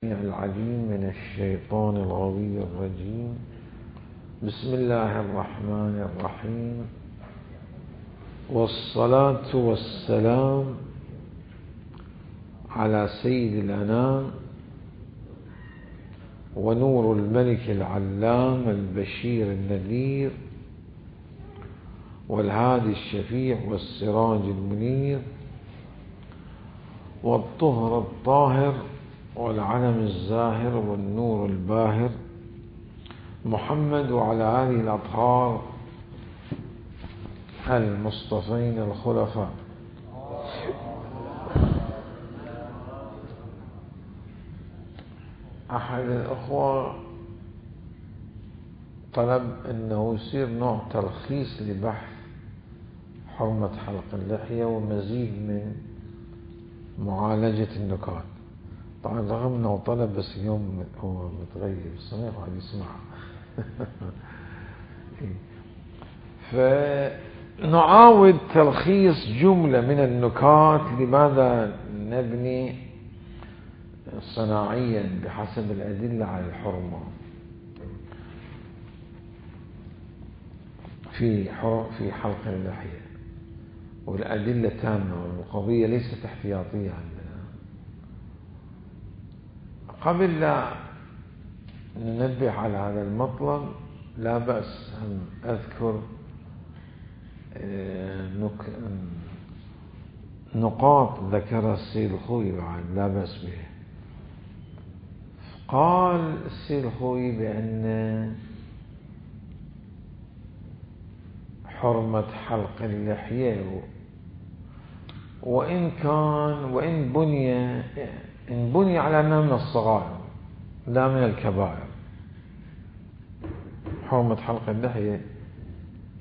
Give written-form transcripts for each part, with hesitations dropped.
العليم من الشيطان الغوي الرجيم. بسم الله الرحمن الرحيم، والصلاة والسلام على سيد الأنام ونور الملك العلام البشير النذير والهادي الشفيع والسراج المنير والطهر الطاهر والعلم الزاهر والنور الباهر محمد وعلى آله الأطهار المصطفين الخلفاء. أحد الأخوة طلب أنه يصير نوع تلخيص لبحث حرمة حلق اللحية ومزيد من معالجة النكات. طبعا رغم أنه طلب بس اليوم هو متغيب الصنيع وقاعد يسمع. فنعاود تلخيص جملة من النكات. لماذا نبني صناعيا بحسب الأدلة على الحرمة في حلق اللحية، والأدلة تامة والقضية ليست احتياطية عندنا. قبل لا ننبه على هذا المطلب لا بأس أن أذكر نقاط ذكرها السيد الخوي بعد لا بأس به. قال السيد الخوي بأن حرمة حلق اللحية وإن بني على أنها من الصغائر لا من الكبائر. حرمة حلق اللحية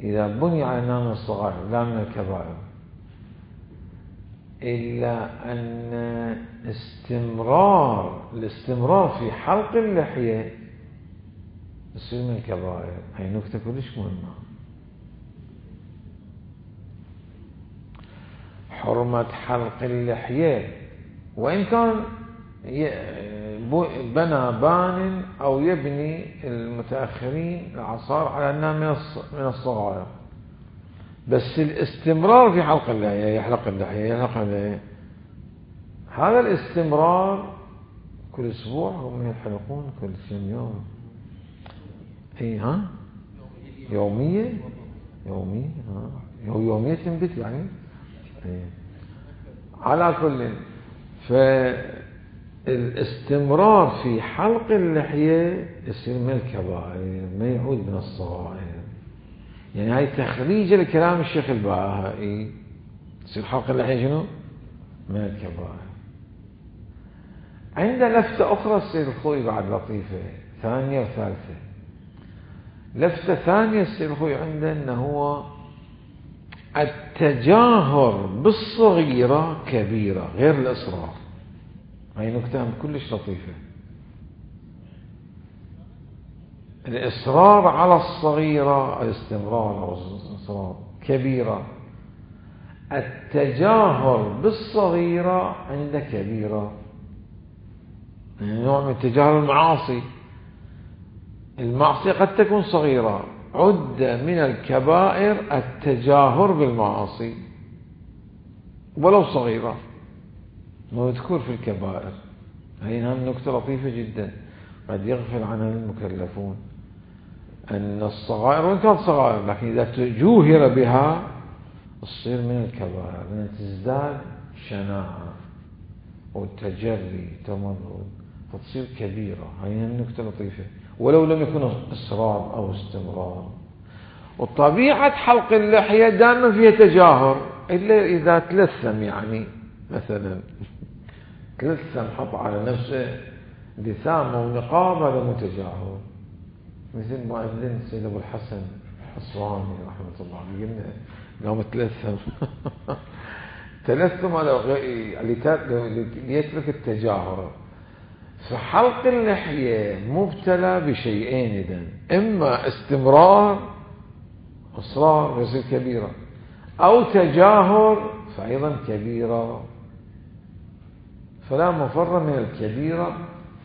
إذا بني على أنها من الصغائر لا من الكبائر، إلا أن الاستمرار في حلق اللحية يصير من الكبائر. هي نكتة كلش مهمة. حرمة حلق اللحية وإن كان بنى بان أو يبني المتأخرين العصار على أنها من الصغائر، بس الاستمرار في حلق اللحية يحلق اللحية هذا الاستمرار كل أسبوع هم يحلقون كل كم يوم. يومية يومية تنبت يعني. على كل فالاستمرار في حلق اللحية يصير من الكبائر ما يعود من الصغائر. يعني هاي تخريج لكلام الشيخ البهائي. يصير حلق اللحية شنو؟ من الكبائر. عند لفتة أخرى السيد الخوي بعد لطيفة ثانية وثالثة. لفتة ثانية السيد الخوي عنده أنه هو التجاهر بالصغيرة كبيرة غير الإصرار. هاي نكتة كلش لطيفة. الإصرار على الصغيرة الاستمرار أو الإصرار كبيرة. التجاهر بالصغيرة عند كبيرة نوع من التجاهر. المعصية قد تكون صغيرة. عد من الكبائر التجاهر بالمعاصي ولو صغيرة مذكور في الكبائر. هي نكتة لطيفة جدا قد يغفل عنها المكلفون. أن الصغائر وإن كانت صغائر لكن إذا تجوهر بها تصير من الكبائر، لأنها تزداد شناعة والتجري تمرد فتصير كبيرة. هي نكتة لطيفة ولو لم يكن إصرار أو استمرار. وطبيعة حلق اللحية دائما فيها تجاهر إلا إذا تلثم، يعني مثلا تلثم حط على نفسه لثامة ونقاب هذا متجاهر. مثل ما أذن سيد أبو الحسن الحصواني رحمة الله عليه قام تلثم ليترك التجاهر. فحلق اللحية مبتلى بشيئين إذن، إما استمرار إصرار يصير كبيرة، أو تجاهر فأيضا كبيرة. فلا مفر من الكبيرة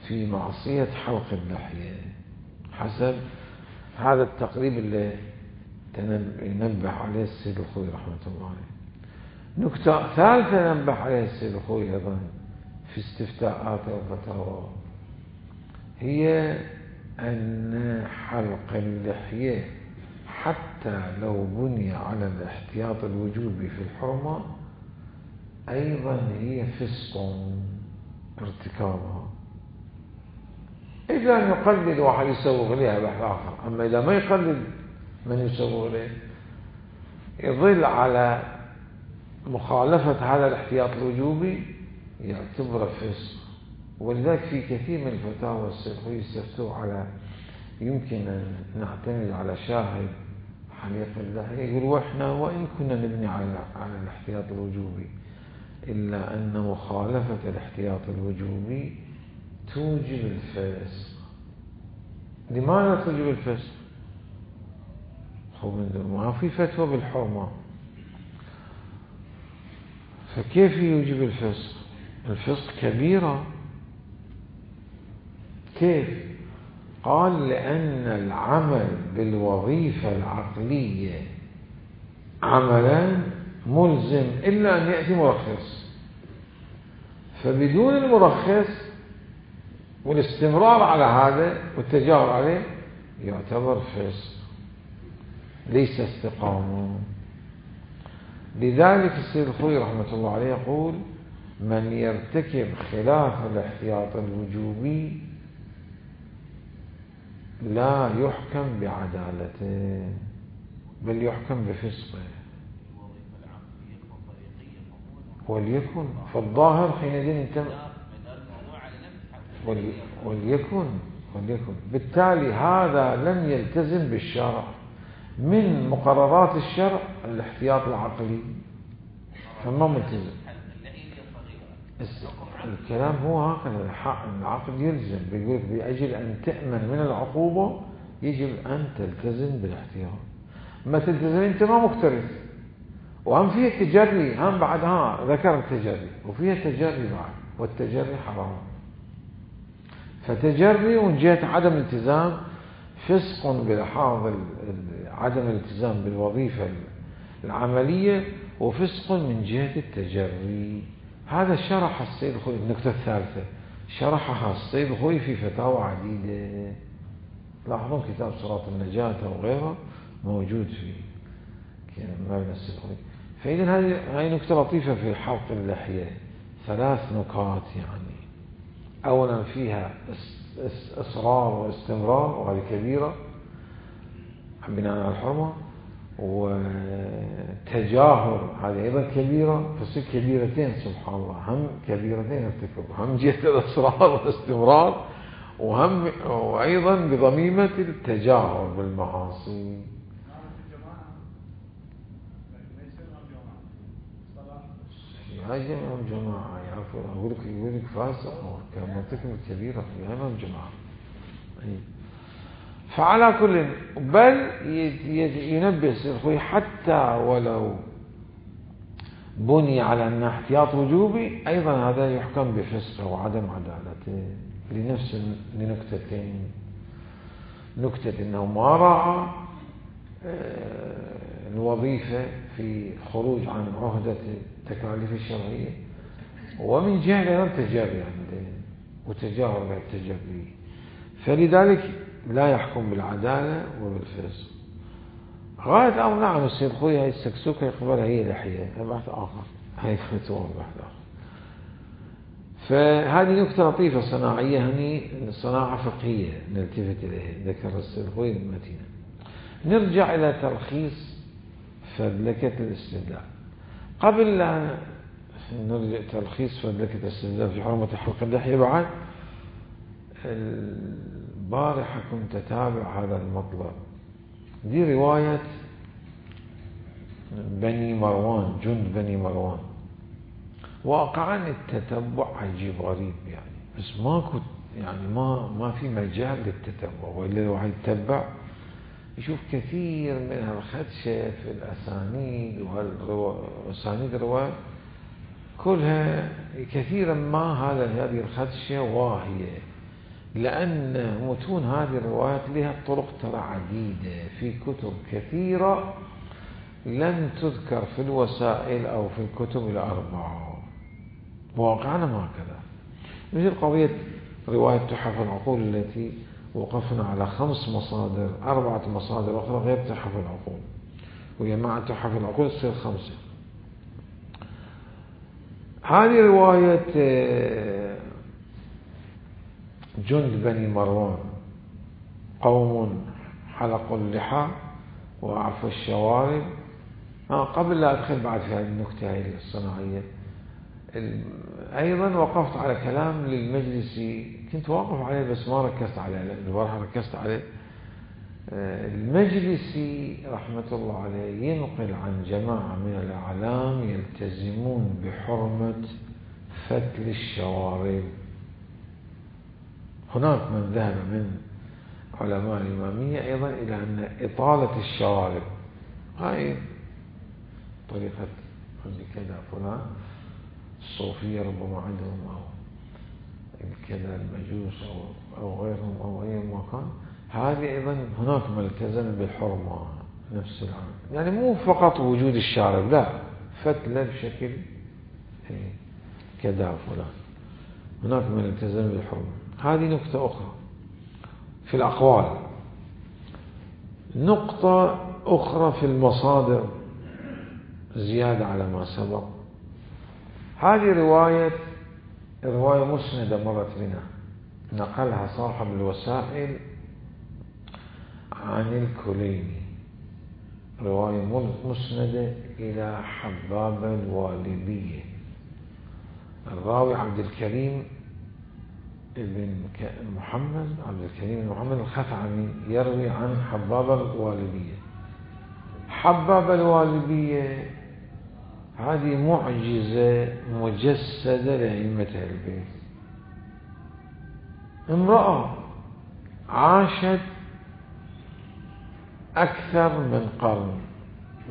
في معصية حلق اللحية حسب هذا التقريب اللي ينبه عليه السيد الخوي رحمة الله عليه. نكتة ثالثة ننبه عليها السيد الخوي أيضا في استفتاءاته وفتاواه هي أن حلق اللحية حتى لو بني على الاحتياط الوجوبي في الحرمة أيضا هي فسق ارتكابها، إذا أن يقلد واحد يسوغ لها بحث آخر. أما إذا ما يقلد من يسوغ له يظل على مخالفة هذا الاحتياط الوجوبي يعتبر فسق. ولذلك في كثير من الفتاوى السلفية يستفتوا على يمكن أن نعتمد على شاهد حليق اللحية، يقول وإحنا وإن كنا نبني على الاحتياط الوجوبي إلا أن مخالفة الاحتياط الوجوبي توجب الفسق. لماذا توجب الفسق؟ ما في فتوى بالحرمة، فكيف يوجب الفسق؟ الفسق كبيرة. كيف؟ قال لأن العمل بالوظيفة العقلية عملا ملزم إلا أن يأتي مرخص، فبدون المرخص والاستمرار على هذا والتجاهل عليه يعتبر فسق ليس استقامة. لذلك السيد الخوي رحمة الله عليه يقول من يرتكب خلاف الاحتياط الوجوبي لا يحكم بعدالته بل يحكم بفسقه. وليكن فالظاهر حينئذ انت وليكن بالتالي هذا لم يلتزم بالشرع. من مقررات الشرع الاحتياط العقلي فما ملتزم. الكلام هو هكذا، العقل يلزم، بيقول بأجل أن تأمن من العقوبة يجب أن تلتزم بالاحتياط. ما تلتزم أنت ما مكترث. وهم فيها تجري، هم بعد ذكر التجري وفيها تجري بعد، والتجري حرام. فتجري من جهة عدم الالتزام فسق بلحاظ عدم الالتزام بالوظيفة العملية، وفسق من جهة التجري. هذا شرح السيد الخوي. النقطة الثالثة شرحها السيد الخوي في فتاوى عديدة، لاحظون كتاب صراط النجاة وغيره موجود في مبنى السيد الخوي. فإذا هذه نقطة لطيفة في حلق اللحية، 3 نقاط يعني. أولا فيها إصرار واستمرار وهذه كبيرة بناء على الحرمة، وتجاهر هذه أيضا كبيرة. فصير كبيرتين سبحان الله، هم كبيرتين ارتكب، هم جهة الإصرار والاستمرار وأيضا بضميمة التجاهر بالمعاصي. هاي جماعة يعرفون. أقول لك فاسق كان مرتكب كبيرة في أمام جماعة. فعلى كل بل ينبه الخوي حتى ولو بني على أن احتياط وجوبي أيضا هذا يحكم بفسقه وعدم عدالته لنكتتين. نكتة أنه ما راعى الوظيفة في خروج عن عهدة التكاليف الشرعية، ومن جهة تجري عنده وتجاهل بالتجري، فلذلك لا يحكم بالعدالة وبالفسق. غاية أو نعم السيد خوي هاي السكسوكة يقبلها هي لحية، بحث آخر، هاي فتوى بحث آخر. فهذه نكتة لطيفة صناعية، هني صناعة فقهية نلتفت إليها ذكر السيد خوي المتينة. نرجع إلى تلخيص فذلكة الاستدلال. قبل لا نرجع تلخيص فذلكة الاستدلال في حرمة حلق اللحية، بعد البارحة كنت أتابع هذا المطلب. دي رواية بني مروان، جند بني مروان. واقعا التتبع عجيب غريب يعني، بس ماكو يعني ما في مجال للتتبع، وإلا الواحد يتبع يشوف كثير من الخدشة في الأسانيد وأسانيد الرواية كلها كثيرا ما هذه الخدشة واهية لأن متون هذه الروايات لها طرق ترى عديدة في كتب كثيرة لم تذكر في الوسائل أو في الكتب الأربعة، واقعنا هكذا. مثل قضية رواية تحف العقول التي وقفنا على 5 مصادر، 4 مصادر أخرى غير تحف العقول، وجماعة تحف العقول تصير 5. هذه رواية جند بني مروان، قوم حلقوا اللحى وأعفوا الشوارب. قبل لا أدخل بعد في هذه النكتة هذه الصناعية، أيضا وقفت على كلام للمجلسي، كنت واقف عليه بس ما ركزت عليه، البارحة ركزت عليه. المجلسي رحمة الله عليه ينقل عن جماعة من الأعلام يلتزمون بحرمة فتل الشوارب. هناك من ذهب من علماء الإمامية أيضا إلى أن إطالة الشوارب هاي طريقة كذا فلان الصوفية ربما عندهم، أو كذا المجوس أو غيرهم أو أي مكان، هذه أيضا هناك من التزم بالحرمة نفس العام، يعني مو فقط وجود الشارب، لا، فتلة بشكل كذا فلان، هناك من التزم بالحرمة. هذه نقطة أخرى في الأقوال. نقطة أخرى في المصادر زيادة على ما سبق. هذه رواية مسندة مرت بنا، نقلها صاحب الوسائل عن الكليني، رواية مسندة إلى حباب الوالبية. الراوي عبد الكريم بن محمد، عبد الكريم بن محمد الخثعمي، يروي عن حباب الوالبية. حباب الوالبية هذه معجزة مجسدة لأئمة البيت. امرأة عاشت أكثر من قرن،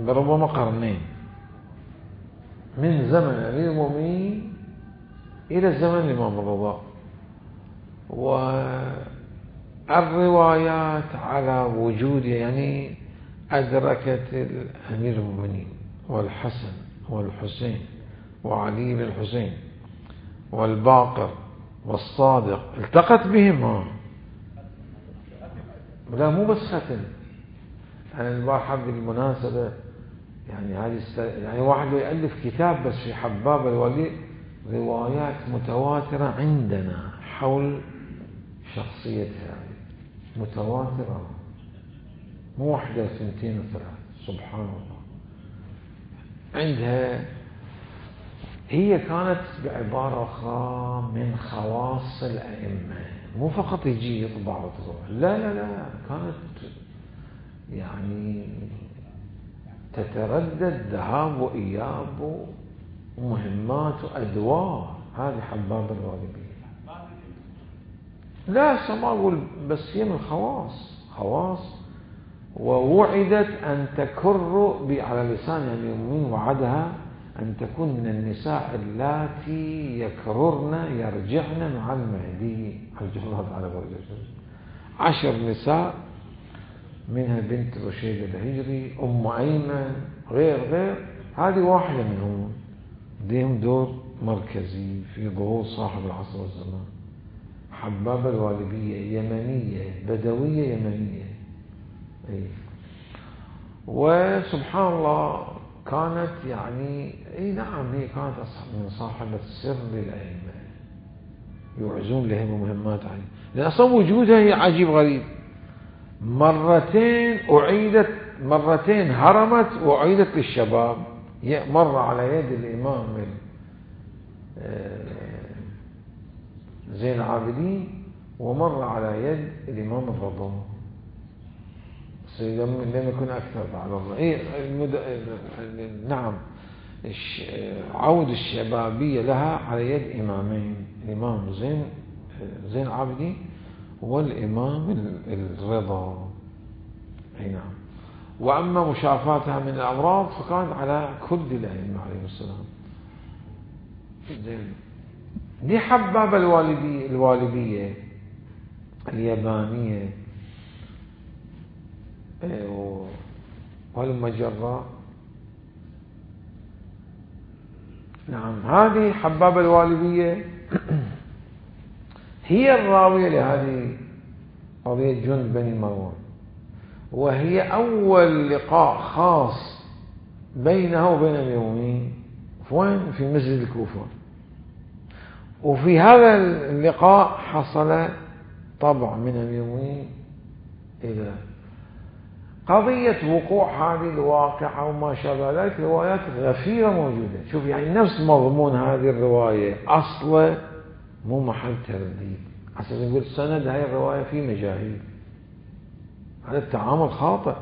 ربما قرنين، من زمن أمير المؤمنين إلى زمن الإمام الرضا، والروايات على وجود، يعني أدركت الأمير المؤمنين والحسن والحسين وعلي بن الحسين والباقر والصادق، التقت بهم. لا مو بس ختم، أنا البارحة بالمناسبة يعني يعني واحد يألف كتاب بس في حباب الولي، روايات متواترة عندنا حول شخصيتها، متواترة، مو واحدة 2 و3، سبحان الله. عندها هي كانت بعبارة أخرى من خواص الأئمة، مو فقط يجي يطبع وتروح، لا لا لا، كانت يعني تتردد ذهاب وإياب ومهمات وأدوار. هذه حباب الوالبية. لا ما أقول، بس هي من خواص، ووعدت أن تكر على لسان يعني من وعدها أن تكون من النساء اللاتي يرجعن مع المهدي عجل الله تعالى فرجه. 10 نساء، منها بنت رشيد الهجري، أم أيمن، غير، هذه واحدة منهم، لهم دور مركزي في ظهور صاحب العصر والزمان. حباب الوالبية يمنية، بدوية يمنية، وسبحان الله كانت يعني نعم، هي كانت من صاحبة السر للأئمة، يعزون لهم مهمات عليه، لأن أصلا وجودها هي عجيب غريب. مرتين هرمت وأعيدت للشباب، مر على يد الإمام زين العابدين، ومر على يد الإمام الرضا، لم يكن أكثر بعد الله. نعم، عود الشبابية لها على يد إمامين، الإمام زين العابدين والإمام الرضا. نعم. وأما مشافاتها من الأمراض فكانت على كل الأئمة عليه السلام. دي حباب الوالبية اليابانية والمجرة. نعم، هذه حبابة الوالبية هي الراوية لهذه قضية جند بني مروان، وهي أول لقاء خاص بينها وبين أمير المؤمنين وين؟ في مسجد الكوفة. وفي هذا اللقاء حصل طبع من أمير المؤمنين إلى قضية وقوع هذه الواقعة وما شابه ذلك. روايات غفيرة موجودة. شوف يعني نفس مضمون هذه الرواية أصلا مو محل ترديد، عشان نقول سند هاي الرواية في مجاهيل، هذا التعامل خاطئ.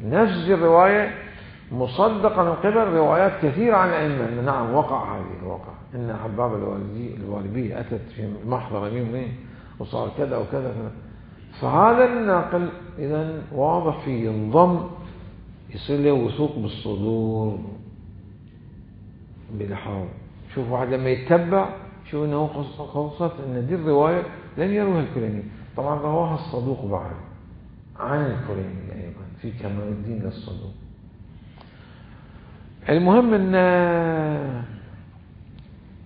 نفس الرواية مصدقة من قبل روايات كثيرة عن الأئمة. نعم وقع هذه الواقع، إن حبابة الوالبية أتت في محضر أمير المؤمنين وصار كذا وكذا كذا. فهذا الناقل إذن واضح فيه ينضم، يصير له وثوق بالصدور بلحاظ. شوف واحد لما يتبع شوف انه خلصت ان دي الرواية لم يروها الكليني، طبعا رواها الصدوق بعد عن الكليني ايضا في كمال الدين للصدوق. المهم ان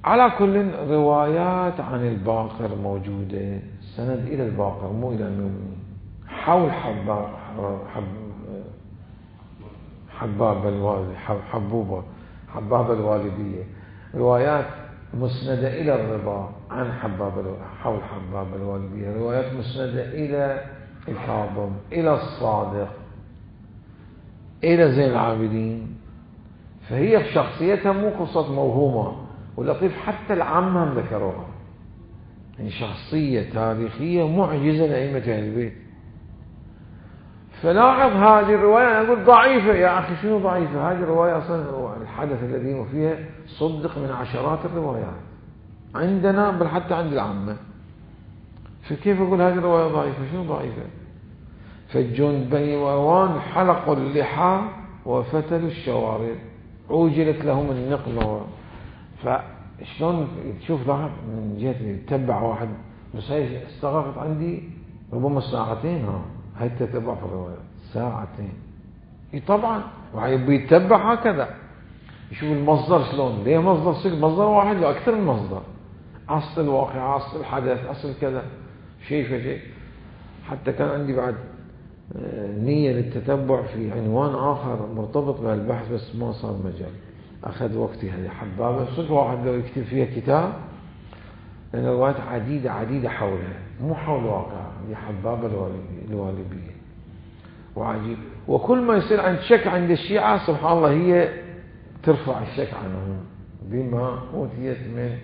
على كل روايات عن الباقر موجودة، سند الى الباقر مو الى المؤمنين، حول حبابة الوالبية، روايات مسندة إلى الرضا عن حول حبابة الوالبية، روايات مسندة إلى الكاظم، إلى الصادق، إلى زين العابدين. فهي في شخصيتها مو قصة موهومة، ولطيف حتى العامة ذكروها، يعني شخصية تاريخية معجزة لأئمة أهل البيت. فلاحظ هذه الرواية، أنا أقول ضعيفة يا أخي، شنو ضعيفة؟ هذه الرواية أصلا الحدث الذي فيها صدق من عشرات الروايات عندنا، بل حتى عند العامة. فكيف أقول هذه الرواية ضعيفة؟ شنو ضعيفة؟ فالجند بني مروان حلقوا اللحى وفتلوا الشوارب، عوجلت لهم النقمة. فشلون تشوف لاحظ من جهة يتبع واحد، بس هي استغرقت عندي ربما ساعتين. هاي تتبع في الروايات ساعتين. طبعا بيتبع هكذا، يشوف المصدر شلون، ليه مصدر واحد لو أكثر من مصدر، أصل الواقع، أصل الحدث، أصل كذا، شيء فشيء. حتى كان عندي بعد نية للتتبع في عنوان آخر مرتبط بهالبحث، بس ما صار مجال، أخذ وقتي. هذه حبابة صدق واحد لو يكتب فيها كتاب، لأن الروايات عديدة حولها، مو حول واقع. هي حبابة الوالبية وعجيب. وكل ما يصير عند شك عند الشيعة سبحان الله هي ترفع الشك عنهم بما أوتيت من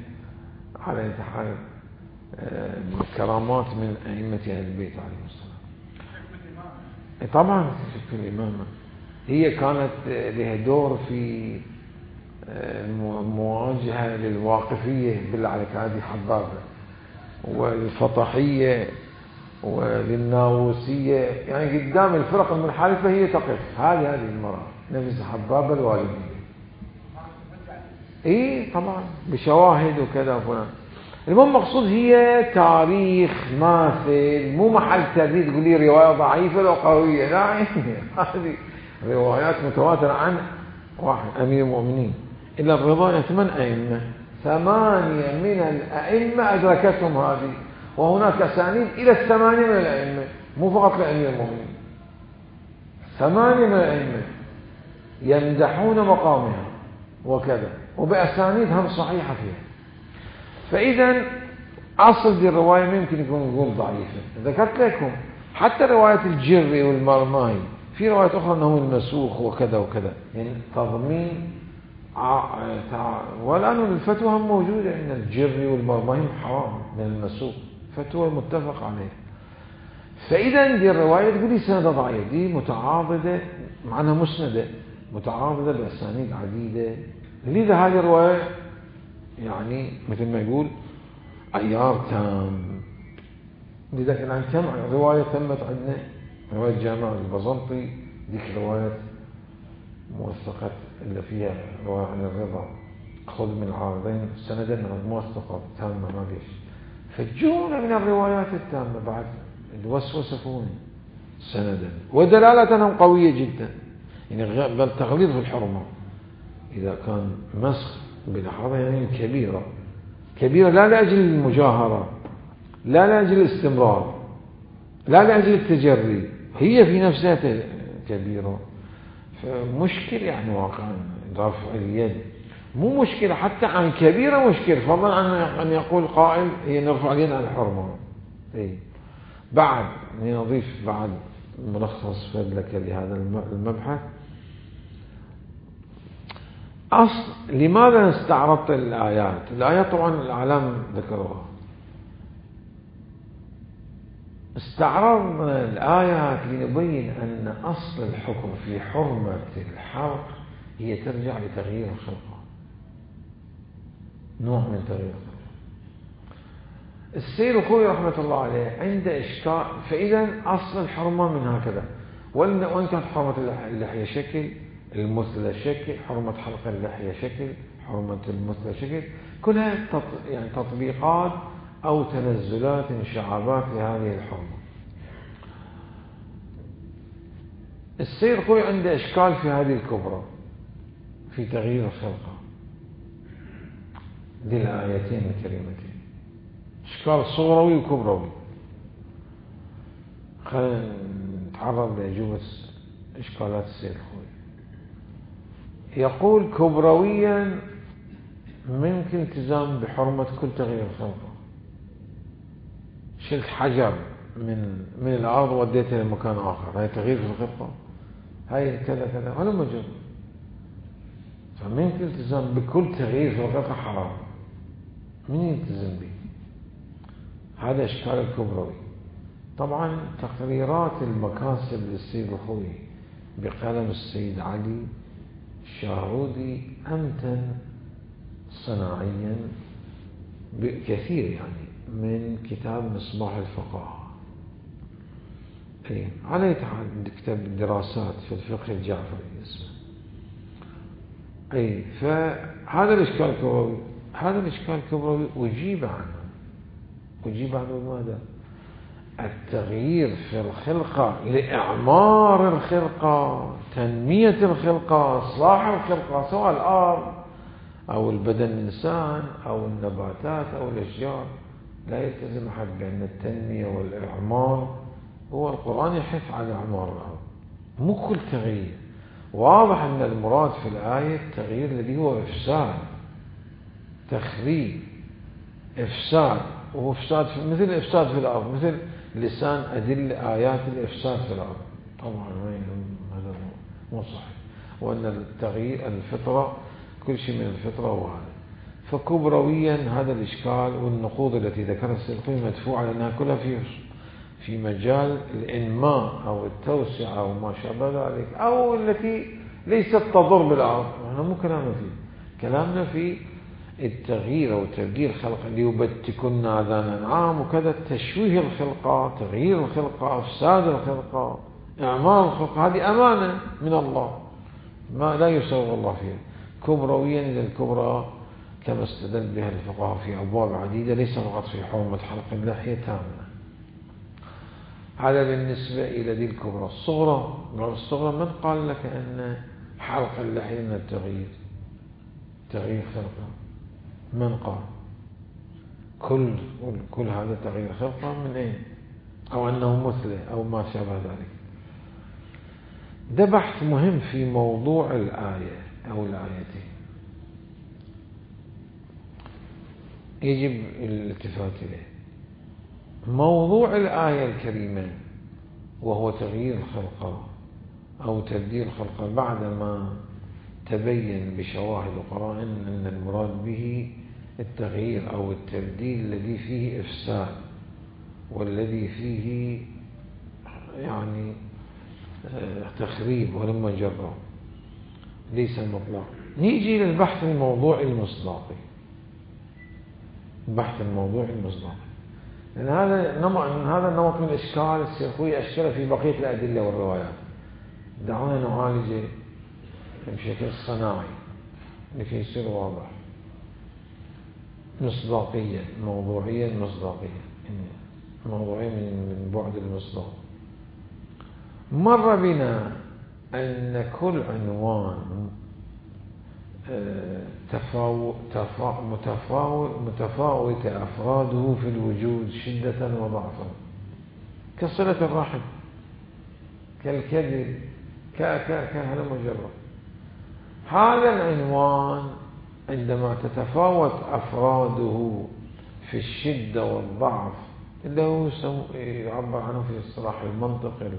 على انتحال كرامات من أئمة أهل البيت عليهم السلام. طبعا في الإمامة هي كانت لها دور في مواجهة للواقفية بالله عليك، هذه حبابة، والفطحية وللناووسية، يعني قدام الفرق المنحرفة هي تقف. هذه المرأة نفس حبابة الوالبية. طبعا بشواهد وكذا وفلان. المهم مقصود هي تاريخ ماثل، مو محل ترديد تقول لي رواية ضعيفة لو قوية، لا. هذه روايات متواترة عن واحد أمير المؤمنين إلا الرضا 8 أئمة، 8 من الأئمة أدركتهم هذه، وهناك أسانيد إلى 8 من الأئمة، مو فقط لأمير المؤمنين، 8 من الأئمة يمدحون مقامها وكذا، وبأسانيد هم صحيحة فيها. فإذا أصل دي الرواية ممكن يكون نقول ضعيفة. ذكرت لكم حتى رواية الجري والمرماي، في روايات أخرى أنه المسوخ وكذا وكذا، يعني تضمين. والآن الفتوى هم موجودة أن الجري والمرماي حرام من المسوخ، فتوى متفق عليه. فإذا دي الرواية تقول لي سندة ضعيفة، دي متعاضدة معناها مسندة، متعاضدة بأسانيد عديدة. لذا هذه الرواية يعني مثل ما يقول عيار تام. لذا كان كم رواية تمت عندنا، رواية جامع البزنطي، ديك رواية موثقة اللي فيها رواية عن الرضا، خذ من العارضين سندا موثقة تامة ما فيش. فالجملة من الروايات التامة بعد الوسوسة فوني سندا، ودلالتهم قوية جدا. يعني بل تغليظ في الحرمة إذا كان مسخ بلحظة يعني كبيرة كبيرة، لا لأجل المجاهرة، لا لأجل الاستمرار، لا لأجل التجري، هي في نفسها كبيرة. فمشكل يعني واقعا رفع اليد مو مشكلة، حتى عن كبيرة مشكلة، فضلا عن أن يقول قائل هي نرفع اليد عن الحرمة. بعد نضيف بعد ملخص فدلك لهذا المبحث. لماذا استعرضت الآيات؟ الآيات طبعا الأعلام ذكروها. استعرضنا الآيات لنبين أن أصل الحكم في حرمة الحرق هي ترجع لتغيير الخلقة، نوع من تغيير الخلقة. السيد الخوي رحمة الله عليه عنده إشكال، فإذا أصل الحرمة من هكذا، وإن كانت حرمة اللحية شكل، المثلى شكل، حرمة حلق اللحية شكل، حرمة المثلى شكل، كلها يعني تطبيقات أو تنزلات انشعابات لهذه الحرمة. السيد الخوي عنده إشكال في هذه الكبرى في تغيير الخلقة دي الآيتين الكريمتين، إشكال صغروي وكبروي. خلينا نتعرض لأجوبة إشكالات السيد الخوي. يقول كبرويا ممكن التزام بحرمة كل تغيير الخلقة. شلت حجر من الأرض وديته لمكان آخر، هاي تغيير في الخلقة، هاي كذا كذا، ولا مجرد. فممكن التزام بكل تغيير في الخلقة حرام، من يلتزم به؟ هذا إشكال الكبروي. طبعا تقريرات المكاسب للسيد الخوي بقلم السيد علي الشاهرودي أمتن صناعيا كثير يعني من كتاب مصباح الفقهاء. على كتاب دراسات في الفقه الجعفري اسمه. فهذا الإشكال الكبروي، هذا الإشكال الكبروي أجيب عنه بماذا؟ التغيير في الخلقة لإعمار الخلقة، تنمية الخلقة، إصلاح الخلقة، سواء الأرض أو البدن الإنسان أو النباتات أو الأشجار. لا يلتزم أحد بأن التنمية والإعمار هو القرآن يحث على إعمار الأرض، مو كل تغيير. واضح أن المراد في الآية التغيير الذي هو إفساد، تخريب، إفساد، وهو إفساد مثل الإفساد في الأرض، مثل لسان أدل آيات الإفساد في الأرض. طبعا هذا مو صحيح، وأن التغيير الفطرة كل شيء من الفطرة وهذا. فكبرويا هذا الإشكال والنقوض التي ذكرها السيد الخوي مدفوعة لأنها كلها في مجال الإنماء أو التوسعة أو ما شابه ذلك، أو التي ليست تضر بالأرض. نحن مو كلامنا فيه، كلامنا في التغيير أو تبديل الخلق، ليبتكن آذان أنعام وكذا، تشويه الخلقة، تغيير الخلقة، إفساد الخلقة، إعمار الخلقة. هذه أمانة من الله ما لا يسوغ الله فيها. كبرويا إلى الكبرى كما استدل بها الفقهاء في أبواب عديدة، ليس فقط في حرمة حلق اللحية تامة. هذا بالنسبة إلى ذي الكبرى. الصغرى من قال لك أن حلق اللحية من التغيير، تغيير خلقة؟ من قال؟ كل هذا تغيير خلقة من أين؟ أو أنه مثله أو ما شابه ذلك. ده بحث مهم في موضوع الآية أو الآيتين يجب الالتفات إليه. موضوع الآية الكريمة وهو تغيير الخلقة أو تبديل الخلقة، بعدما تبين بشواهد وقرائن أن المراد به التغيير أو التبديل الذي فيه إفساد والذي فيه يعني تخريب ولما جرى، ليس المطلق. نيجي للبحث الموضوعي المصداقي. البحث الموضوعي المصداقي، لأن هذا النمط من الإشكال السيد الخوي أشكل في بقية الأدلة والروايات. دعونا نعالجه بشكل صناعي لكي يصير واضح، مصداقيا، موضوعيا، مصداقيا. موضوعين من بعد المصداق. مر بنا أن كل عنوان متفاوت أفراده في الوجود شدة وضعفا، كصلة الرحم، كالكذب، كهذا مجرد. هذا العنوان عندما تتفاوت أفراده في الشدة والضعف، اللي هو يعبر عنه في اصطلاح المنطق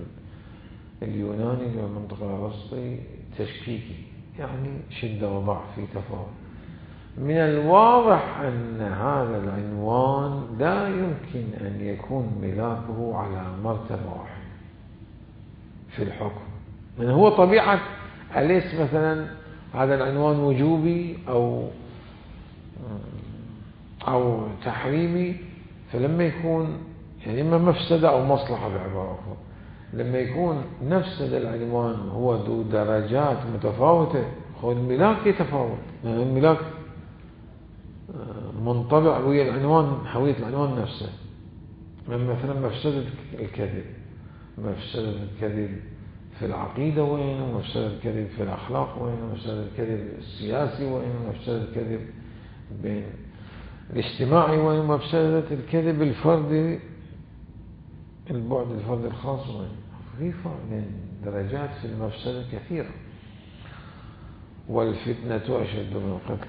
اليوناني والمنطق الأرسطي تشكيكي، يعني شدة وضعف في تفاوت. من الواضح أن هذا العنوان لا يمكن أن يكون ملاكه على مرتبة واحدة في الحكم. من هو طبيعة أليس مثلا هذا العنوان وجوبي أو تحريمي؟ فلما يكون يعني إما مفسدة أو مصلحة بعبارة أخرى، لما يكون نفس العنوان هو ذو درجات متفاوتة، الملاك يتفاوت، يعني الملاك منطبع ويا العنوان، هوية العنوان نفسه. مثلا مفسدة الكذب، مفسدة الكذب في العقيدة وين، ومفسدة الكذب في الأخلاق وين، ومفسدة الكذب السياسي وين، ومفسدة الكذب بين الاجتماعي وين، ومفسدة الكذب الفردي، البعد الفردي الخاص وين. في فرق بين درجات في المفسدة كثيرة. والفتنة أشد من القتل.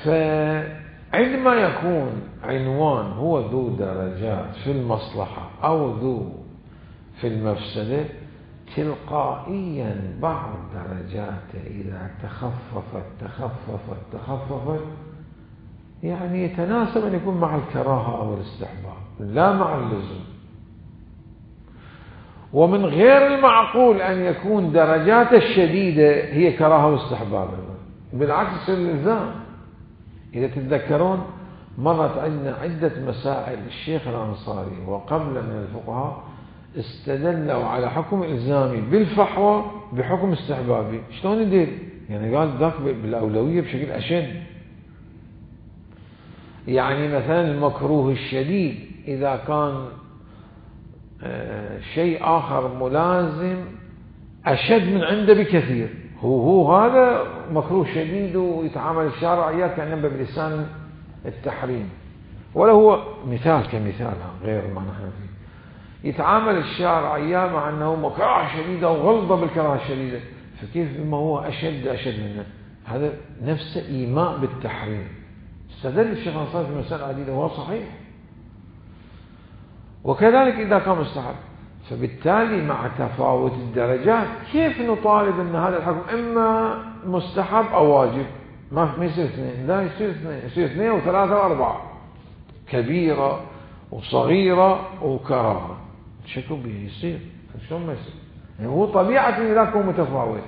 فعندما يكون عنوان هو ذو درجات في المصلحة أو ذو في المفسدة، تلقائيا بعض درجاته إذا تخففت يعني يتناسب أن يكون مع الكراهة أو الاستحباب، لا مع اللزوم. ومن غير المعقول أن يكون درجاته الشديدة هي كراهة واستحباب، بالعكس الإلزام. إذا تتذكرون مرت عندنا عدة مسائل الشيخ الأنصاري وقبل من الفقهاء استدلوا على حكم إلزامي بالفحوى بحكم استحبابي. شلون يدير؟ يعني قال ذاك بالأولوية بشكل أشد. يعني مثلا المكروه الشديد إذا كان شيء آخر ملازم أشد من عنده بكثير، هو هذا مكروه شديد ويتعامل الشارع إياه كأنه بلسان التحريم، ولا هو مثال كمثال غير ما نحن فيه. يتعامل الشارع إياه مع أنه مكروه شديد أو غلظة بالكراهة الشديدة، فكيف بما هو أشد منه؟ هذا نفسه إيماء بالتحريم. استدل الشيخ الأنصاري في مسائل عديدة وهو صحيح. وكذلك إذا كان مستحب، فبالتالي مع تفاوت الدرجات كيف نطالب أن هذا الحكم إما مستحب أو واجب؟ ما يصير اثنين، لا يصير اثنين، يصير اثنين وثلاثة وأربعة، كبيرة وصغيرة وكراهة. شكو به يصير؟ شلون ما يصير؟ يعني هو طبيعة الملاك هو متفاوت،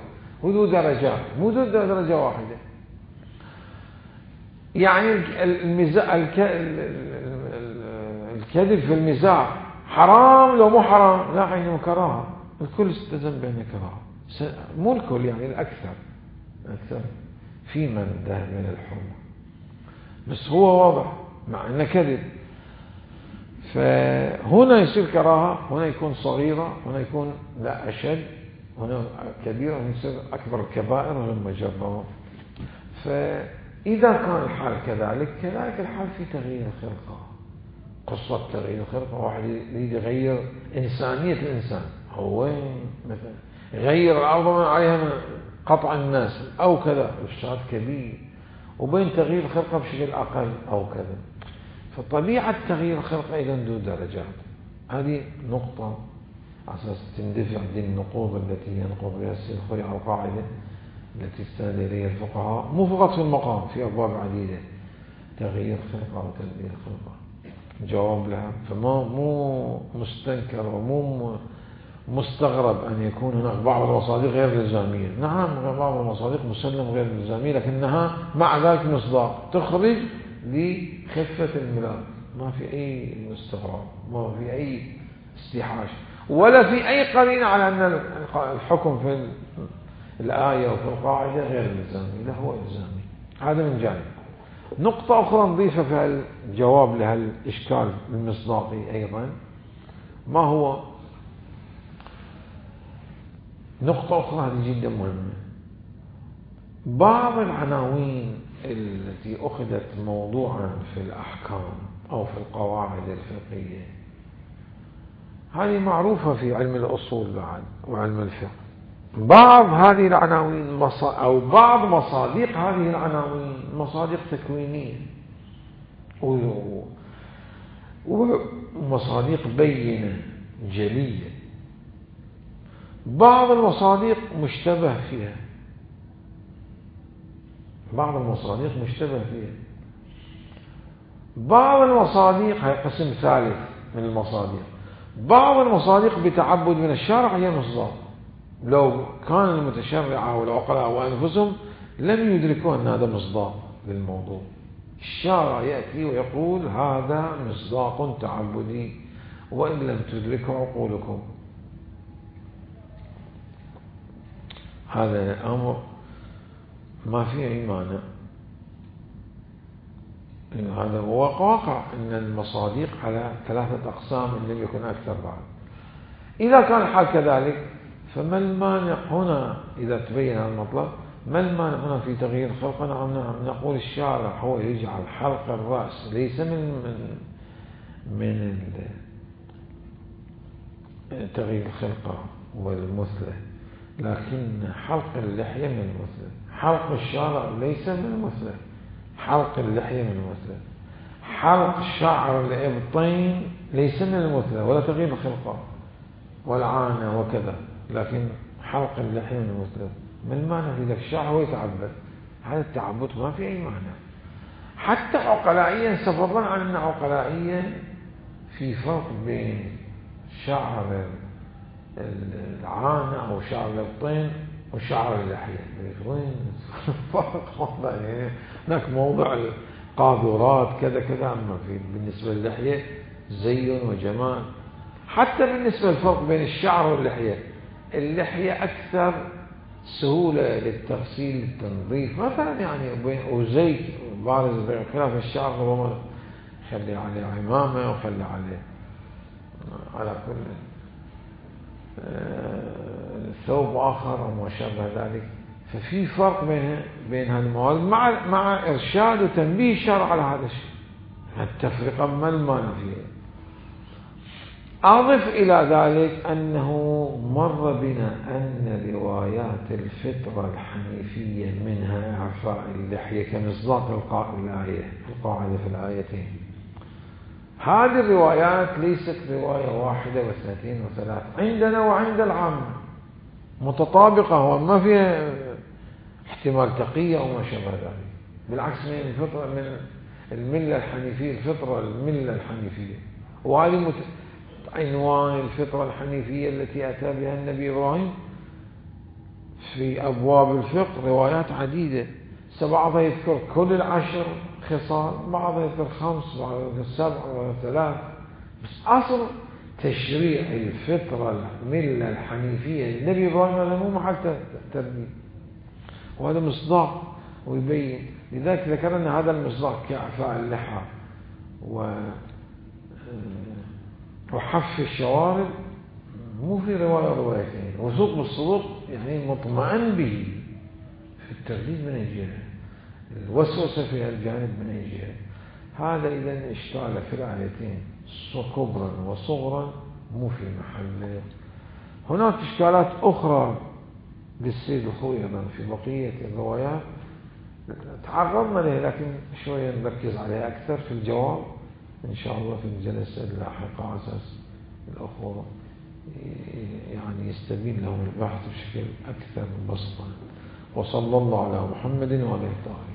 هو ذو درجات، مو ذو درجة واحدة. يعني الكذب في المزاح حرام لو مو حرام؟ لا، عينه كراهة، الكل استلزم بأنه كراهة، مو الكل يعني الأكثر في من ده من الحرمة، بس هو واضح مع أنه كذب. فهنا يصير كراهة، هنا يكون صغيرة، هنا يكون لا أشد، هنا كبيرة، هنا يصير أكبر الكبائر ثم جربه. فإذا كان الحال كذلك الحال في تغيير الخلقة. قصة تغيير الخلقة، واحد يريد يغير إنسانية الإنسان، هو وين مثلا يغير الأرض من عليها من قطع الناس أو كذا، إفساد كبير، وبين تغيير الخلقة بشكل أقل أو كذا. فطبيعة تغيير الخلقة إذا ذو درجات. هذه نقطة على أساس تندفع دي النقوض التي ينقض بها السيد الخوي على القاعدة التي استند إليها الفقهاء، مو فقط في المقام، في أبواب عديدة. تغيير خلقة وتبديل خلقة جواب لها، مو مستنكر ومو مستغرب أن يكون هناك بعض المصادق غير الإلزامية. نعم، بعض المصادق مسلم غير الإلزامية، لكنها مع ذلك مصداق تخرج لخفة الملاك، ما في أي استغراب، ما في أي استيحاش، ولا في أي قرينة على أن الحكم في الآية وفي القاعدة غير الإلزامي، لا هو إلزامي. هذا من جانب. نقطة أخرى نضيفها في الجواب لهالإشكال المصداقي أيضا، ما هو نقطة أخرى هذه جدا مهمة. بعض العناوين التي أخذت موضوعا في الأحكام أو في القواعد الفقهية هذه معروفة في علم الأصول بعد وعلم الفقه. بعض هذه العناوين أو بعض مصادق هذه العناوين مصادق تكوينية ومصادق بينة جلية. بعض المصادق مشتبه فيها، بعض المصادق مشتبه فيها. بعض المصادق هي قسم ثالث من المصادق. بعض المصادق بتعبد من الشارع هي مصداق، لو كان المتشرعة والعقلاء وأنفسهم لم يدركوا أن هذا مصداق للموضوع. الشارع يأتي ويقول هذا مصداق تعبدي وإن لم تدركوا عقولكم. هذا الأمر ما فيه أي مانع. هذا هو واقع أن المصادق على 3 أقسام إن لم يكن أكثر بعد. إذا كان الحال كذلك فما المانع هنا إذا تبين هذا المطلب؟ ما المانع هنا في تغيير الخلقة؟ نعم نقول الشارع هو يجعل حلق الرأس ليس من تغيير الخلقة والمثلة، لكن حلق اللحية من المثلة. حلق الشارع ليس من المثلة، حلق اللحية من المثلة. حلق شعر الإبطين ليس من المثلة ولا تغيير الخلقة والعانة وكذا، لكن حلق اللحية من المثلة. ما المعنى في ذلك؟ الشعر هو يتعبد، هذا التعبد ما في أي معنى. حتى عقلائيا فضلا عن أن عقلائيا في فرق بين شعر العانة أو شعر الإبطين وشعر اللحية. وين فرق؟ يعني هناك موضع القاذورات كذا كذا، أما بالنسبة للحية زي وجمال. حتى بالنسبة للفرق بين الشعر واللحية، اللحية أكثر سهولة للتغسيل للتنظيف مثلا، يعني وزيت بارز، خلاف الشعر ربما خلي عليه عمامة وخلي عليه على كل ثوب آخر وما شابه ذلك. ففي فرق بين هذه المواد مع إرشاد وتنبيه الشرع على هذا الشيء. التفرقة ما المانع فيها. أضف إلى ذلك أنه مر بنا أن روايات الفطرة الحنيفية منها إعفاء اللحية كمصداق القاعدة في الآيتين. هذه الروايات ليست رواية واحدة واثنتين وثلاث، عندنا وعند العامة متطابقة وما فيها احتمال تقية أو ما شابه ذلك. بالعكس، من الفطرة من الملة الحنيفية، الفطرة الملة الحنيفية. وهذه عنوان الفطرة الحنيفية التي أتى بها النبي إبراهيم في أبواب الفقه روايات عديدة. بعضها يذكر كل 10 خصال، بعضها يذكر 5، بعضها يذكر 7 بعضها 3. بس أصل تشريع الفطرة الملة الحنيفية النبي إبراهيم هذا مو محل تربية، وهذا مصداق ويبين. لذلك ذكرنا هذا المصداق كإعفاء اللحى وحف الشوارب مو في روايتين. وثوق بالصدوق يعني مطمئن به في الترديد من أي جهة، الوسوسة في الجانب من أي جهة. هذا إذا اشتغل في الآيتين كبرا وصغرا مو في محله. هناك إشكالات أخرى للسيد الخوي أيضا في بقية الروايات تعرضنا لها، لكن شوية نركز عليها أكثر في الجواب إن شاء الله في الجلسة اللاحقة، على أساس الأخوة يعني يستبين لهم البحث بشكل أكثر بسطا. وصلى الله على محمد وعلى آله.